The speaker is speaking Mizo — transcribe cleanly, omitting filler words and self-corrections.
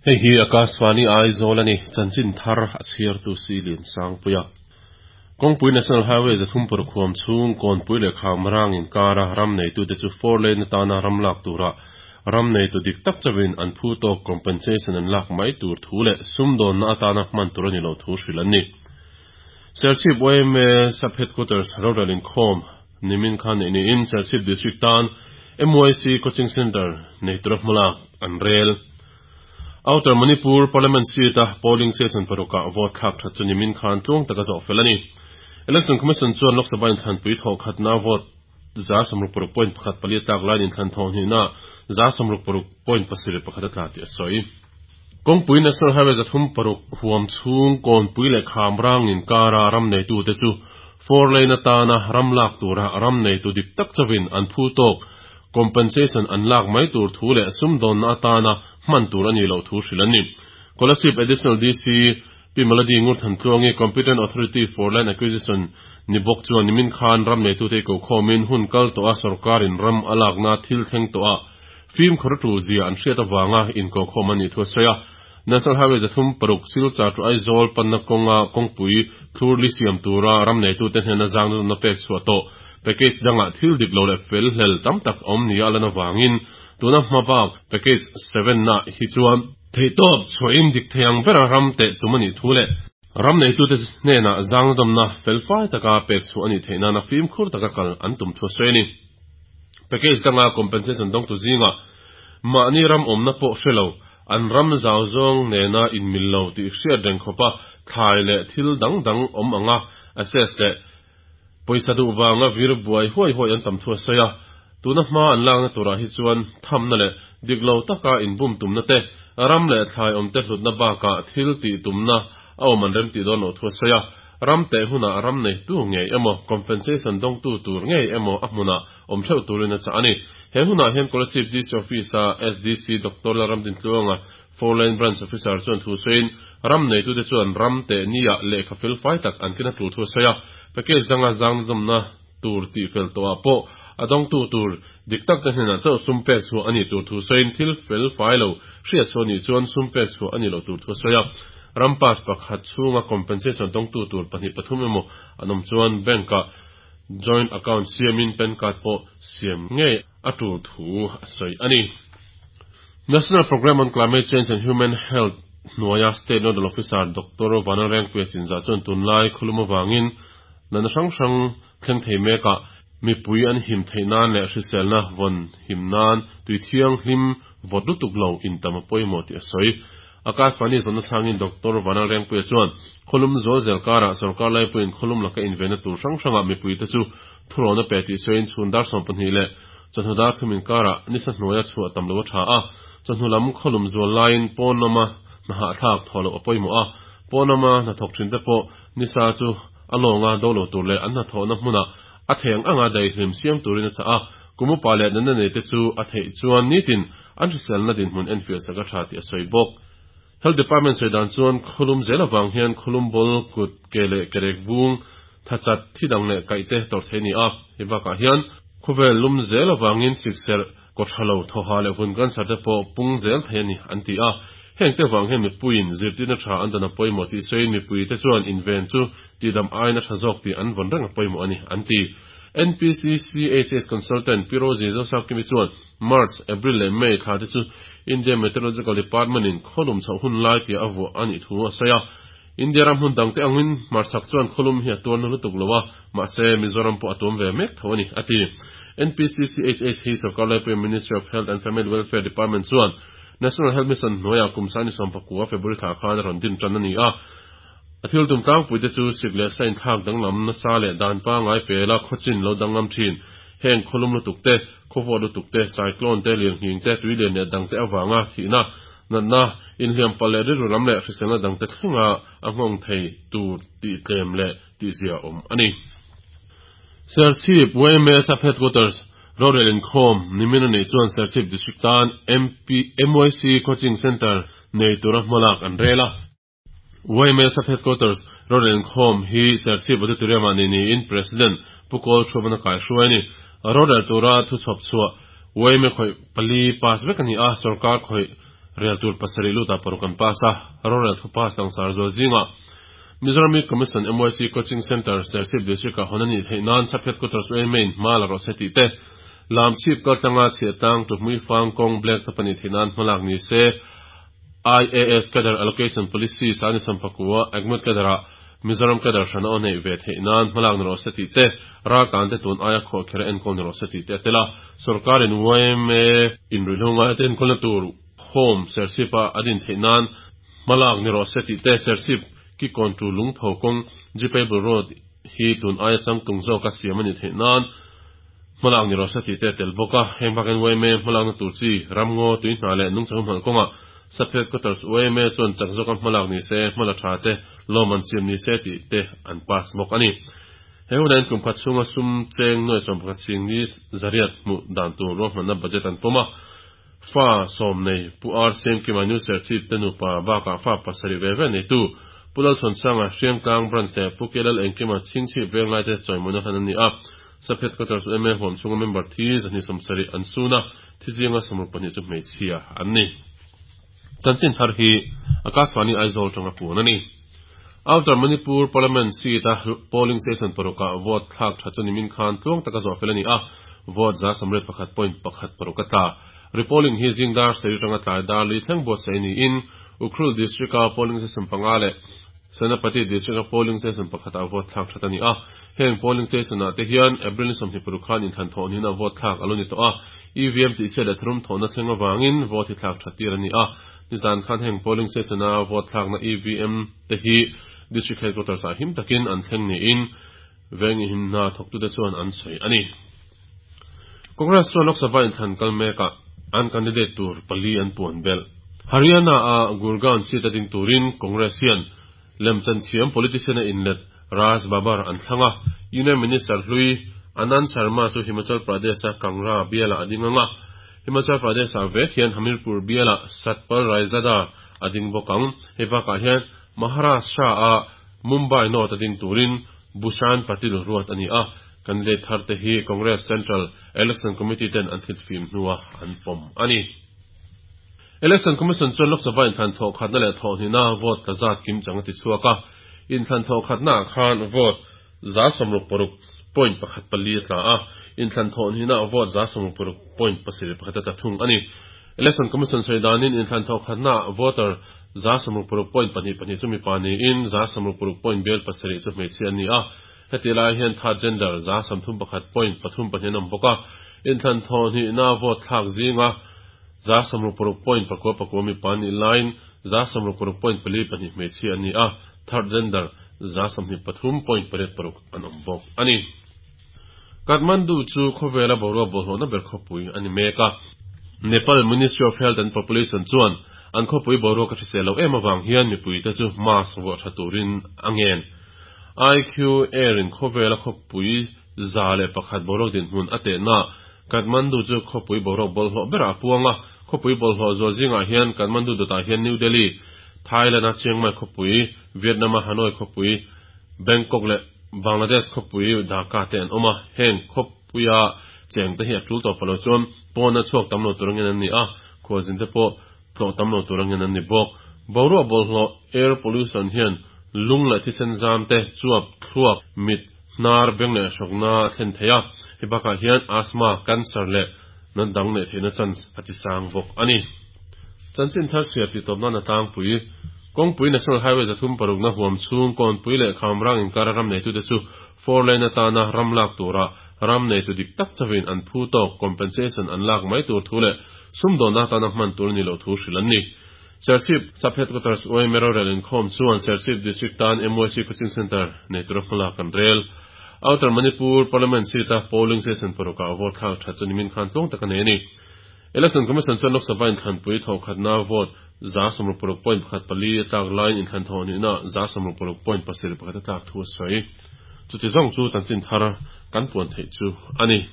Hei hi Akashvani Aizawl a ni, chanchin thar a chhiartu si Lian Sangpuia. Kawngpui National Highway 306 huam chhung Kawnpui leh Khamrang inkara ram neitute chu four lane atana ram lak tura ram neitu dik tak chauhin an phu tawk compensation an lak mai tur thu leh sumdawnna atana hman tur a ni loh thu hrilh an ni. Serchhip YMA Sub-Headquarters rorel inkhawm nimin khan neih niin Serchhip District tan MYC Coaching Centre nei tura hmalak an rel. Outer Manipur Parliament seat-a polling station parukah vote thlak that chu nimin khan tluang taka zawh fel a ni. Election Commission chuan Lok Sabha inthlanpui thawh khatna vote 66.14 a tlak laiin inthlan thawh hnihna 66.71 a tla tih a sawi. Kawngpui National Highway 36 huam chhung Kawnpui leh Khamrang inkara ram neitute chu four lane atana ram lak tura ram neitu dik tak chauhin an phu tawk compensation an lak mai tur thu leh sumdawnna atana hman tur a nih loh thu hrilh an ni. Kolasib Additional DC Pi Melody Ngurthantluangi Competent Authority for Land Acquisition ni bawk chuan nimin khan ram neitute i kokhawmin hun kal tawha sorkarin ram a lakna thil thleng tawhah fimkhur a tul zia an hriat avanga inkokhawm an nih thu a sawi a. National Highway 36 Silchar to Aizawl panna kawnga kawngpui thlur li siam tura ram neitute hnena zangna pek chhuah tawh package dangah thil dik lo leh fel hlel tam tak a awm nia a lan avangin tuna hma bak package 7 na hi chuan theihtawp chhuahin dik thei ang bera ram teh tum a nih thu leh ram neitute hnenah zangnadawmna felfai taka pek chhuah a nih theih nana fimkhur taka kal an tum thu a sawi a ni. Package danga compensation dawngtu zingah mahni ram awmna pawh hre lo, an ram zau zawng nena inmil lo tih hriat reng khawpa thlai leh thil dang dang awm anga assess leh pawisa duh vanga vir buai huai huai an tam thu a sawi a. Tuna hma an lakna turah hi chuan thamna leh dik lo taka inbum tumna te, ram leh thlai awmte hlutna bakah thil tih tumna a awm an remtih dawn loh thu a sawi a. Ram teh hunah ram neitu ngei emaw compensation dawngtu tur ngei emaw a hmunah awm theuh turin a chah a ni. He hunah hian Kolasib DC Office-a SDC Doctor Lalramdintluanga Four Lane Branch Officer chuan thu sawiin ram neitute chuan ram teh niah lehkha fel fai tak an kena tul thu a sawi a. Package danga zangnadawmna tur tih fel tawhah pawh a dawngtu tur dik tak te hnenah chauh sum pek chhuah a nih tur thu sawiin thil fel fai lo hriat chhuah nih chuan sum pek chhuah a nih loh tur thu a sawi a. Ram pass pakhat chhunga compensation dawngtu tur pahnih pathum emaw an awm chuan bank-ah joint account siamin PAN card pawh siam ngei a tul thu a sawi a ni. National Programme on Climate Change and Human Health hnuaia State Nodal Officer Doctor Vanlalrengpuia Chinzah chuan tunlai khawlum avangin natna hrang hrang thleng thei mekah mipui an him theih nan leh hriselna vawn him nan tui thianghlim vawt lutuk lo intam a pawimawh tih a sawi. Akashvani zawnna chhangin Doctor Vanlalrengpuia chuan khawlum zual zel karah sorkar laipuiin khawlum laka invenna tur hrang hrangah mipuite chu thurawn a pe tih sawiin chhun dar 12 leh chawhnu dar thum inkarah nisa hnuaia chhuah tam lo a tha a, chawhnu lam khawlum zual laiin pawn lama hna hahthlak thawh loh a pawimawh a, pawn lama hnathawk thinte pawh nisa chu a lawnga do lo tur leh an hnathawhna hmunah a theih ang anga daihlim siam turin a chah a, kum upa leh natna neite chu a theih chuan nitin an hriselna dinhmun enfiah sak a tha tih a sawi bawk. Health Department sawi dan chuan khawlum zel avang hian khawlum bawl, kut, ke leh kerek vung, tha chat, thi dang leh kaih te tawrh thei a ni a. Hei bakah hian khawvel lum zel avangin sikserh, kawthalo, thawha leh vun cancer te pawh pung zel thei a ni an ti a. Heng te vang hian mipuiin zirtirna tha an dan a pawimawh tih sawiin mipuite chuan inven chu tihdam aiin a tha zawk tih an vawn reng a pawimawh a ni an ti. NPCC HS Consultant Pi Rosie Zosakimi chuan March, April leh May thla te chu India Meteorological Department in khawlum chhoh hun lai tia a vuah a nih thu a sawi a. India ram hmun dangte angin hmarchhak chuan khawlum hi a tuarna lutuk lo a, mahse Mizoram pawh a tuam ve mek tho a ni, a ti. NPCCHH hi Sarkar Laipuia Ministry of Health and Family Welfare Department chuan National Health Mission hnuaiah kum sani 19 February thla khan a rawn din tan a ni a. A thil tum tlangpuite chu sik leh sa inthlak danglam nasa leh dan pangngai pela khawchin lo danglam thin. Heng khawlum lutuk te, khawvawt lutuk te, cyclone te, lirnghing te, tuilian leh dangte avanga thihna, natna, inhliam palh leh rilru lam leh hriselna dangte thlenga a nghawng thei tur tih tlem leh tihzia awm a ni. Serchhip YMA Sub Headquarters rorel inkhawm nimin a neih chuan Serchhip District tan MP, MYC Coaching Centre nei tura hmalak an rel a. YMA Sub Headquarters rorel inkhawm hi Serchhip Auditorium ah nei niin President Pu Kawl Thuamana kaihruai a ni. Rorel tura thu chhawp chhuah YMA khawih pali pass vek a ni a, sorkar khawih Rel tur pasarih lutah paruk an pass a, rorel thu pass langsar zual zingah Mizoram Youth Commission, MYC, Coaching Centre, Serchhip District-ah hawn a nih theih nan Sub Headquarters UMA in hma la rawh se tih te, Lamchhip kaltlanga chhiahtlang Tuhmui Fang kawng Black top a nih theih nan hmalak ni se, IAS Cadre Allocation Policy Sani Sampakua Agmut Cadre-ah Mizoram Cadre hran a aw neih ve theih nan hmalak ni rawh se tih te, raltlante tun aia khuahkherh a enkawl ni rawh se tih te a tel a. Sorkarin yma in ruihhlo ngaite enkawlna tur Home Serchhip-a a din theih nan hmalak ni rawh se tih te, Serchhip Kikawn tu Lungpho kawng Jeepable Road hi tun aia changtlung zawka siam a nih theih nan hmalak ni rawh se tih te a tel bawk a. Heng bakin yma hmalakna tur chi ramngaw, tuihna leh nungchang hmalh kawngah Sub Headquarters yma chuan chak zawka hmalak ni se, hmala tha te lawm an siam ni se tih te an pass bawk a ni. He hunah hian kum khat chhunga sum cheng nuai 11 ching ni zariat hmuh dan tur ruahmanna budget an pawm a. Fa sawm nei Pu R Siamkima New Serchhip te nupa bakah fa pasarih ve ve neitu Pu Lalchhuansanga Hriangtlang Branch leh Pu Kelal Engkima Chhingchhip Venglai te chawimawina hlan an ni a. Sub Headquarters yma huam chhunga member thi 270 an sun a, thi zinga 62 chu hmeichhia an ni. Chanchin thar hi Akashvani Aizawl tanga puan a ni. Outer Manipur Parliament seat a polling station parukah vote thlak tha chu nimin khan tluang taka zawh fel a ni a, vote 91.16 a tla. Repolling hi zing dar sarih atanga tlai dar li thleng buatsaih niin Ukhrul District-a polling station panga leh Senapati District-a polling station pakhatah vote thlak that a ni a. Heng polling station-ah te hian April ni 25 khan inthlan thawh niin a vote thlak a lo ni tawh a, EVM tihchhiat leh tharum thawhna thleng avangin vote hi thlak that tir a ni a. Nizan khan heng polling station-a vote thlakna EVM te hi District Headquarters-ah him takin an thleng niin Vengihimna thawktute chuan an sawi a ni. Congress chuan Lok Sabha inthlan kal mekah an candidate tur pali an puan belh. Haryana-a Gurgaon seat a ding turin Congress hian lemchan thiam politician a inlet Raj Babbar an thlang a, Union Minister hlui Anand Sharma chu Himachal Pradesh-a Kangra bialah a ding ang a, Himachal Pradesh-ah vek hian Hamirpur bialah Satpal Raizada a ding bawk ang. Hei bakah hian Maharashtra-a Mumbai North a ding turin Bhushan Patil ruat a ni a, candidate thar te hi Congress Central Election Committee ten an thlit fim hnua an pawm a ni. Election Commission chuan Lok Sabha inthlan thawh khatna leh thawh hnihna vote tla zat kim chang a ti chhuak a, inthlan thawh khatna ah khan vote 60.14 a tla a, inthlan thawh hnihna ah vote 66.71 a tla thung a ni. Election Commission sawi danin inthlan thawh khatna ah voter 66.22 chu mipa niin 66.7 chu hmeichhia an ni a, hetih lai hian third gender 31.32 an awm bawk a, inthlan thawh hnihna vote thlak zinga 66.99 mipa an nih laiin 66.42 hmeichhia an ni a, third gender 23.86 an awm bawk a ni. Kathmandu chu khawvela boruak bawlhhlawhna ber khawpui a ni mek a. Nepal Ministry of Health and Population chuan an khawpui boruak a hrisel loh em avang hian mipuite chu mask vuah tha turin a ngen. IQ Air in khawvela khawpui 101 boruak dinhmun a tehna Kathmandu chu khawpui boruak bawlhhlawh berah a puang a. Khawpui bawlhhlawh zual zingah hian Kathmandu dawtah hian New Delhi, Thailand-a Chiang Mai khawpui, Vietnam-a Hanoi khawpui, Bangkok leh Bangladesh khawpui Dhaka te an awm a, heng khawpuia cheng te hi a tul tawh pah lo chuan pawna chhuak tam lo tur angin an ni a, khualzin te pawh tlawh tam lo tur angin an ni bawk. Boruak bawlhhlawh, air pollution, hian lung leh thisen zam te, chuap, thluak, mit, hnar, beng leh hrawkna a thlen thei a, hei bakah hian asthma, cancer leh nat dang neih theihna chance a ti sang bawk a ni. Chanchin thar chhiar tih tawp nan a tlangpui. Kawngpui National Highway 306 na huam chhung Kawnpui leh Khamrang inkara ram neitute chu four lane atana ram lak tura ram neitu dik tak chauhin an phu tawk compensation an lak mai tur thu leh sumdawnna atana hman tur a nih loh thu hrilh an ni. Serchhip Sub Headquarters YMA rorel inkhawm chuan Serchhip District tan MYC Coaching Centre nei tura hmalak an rel. Outer Manipur Parliament seat a polling station parukah vote thlak that chu nimin khan tluang tak a nei a ni. Election Commission chuan Lok Sabha inthlanpui thawhkhatna vote 66.14 a tlak laiin inthlan thawh nihna 66.71 a tlak thu a sawi. Chuti zawng chu chanchin thar kan puan theih chu a ni.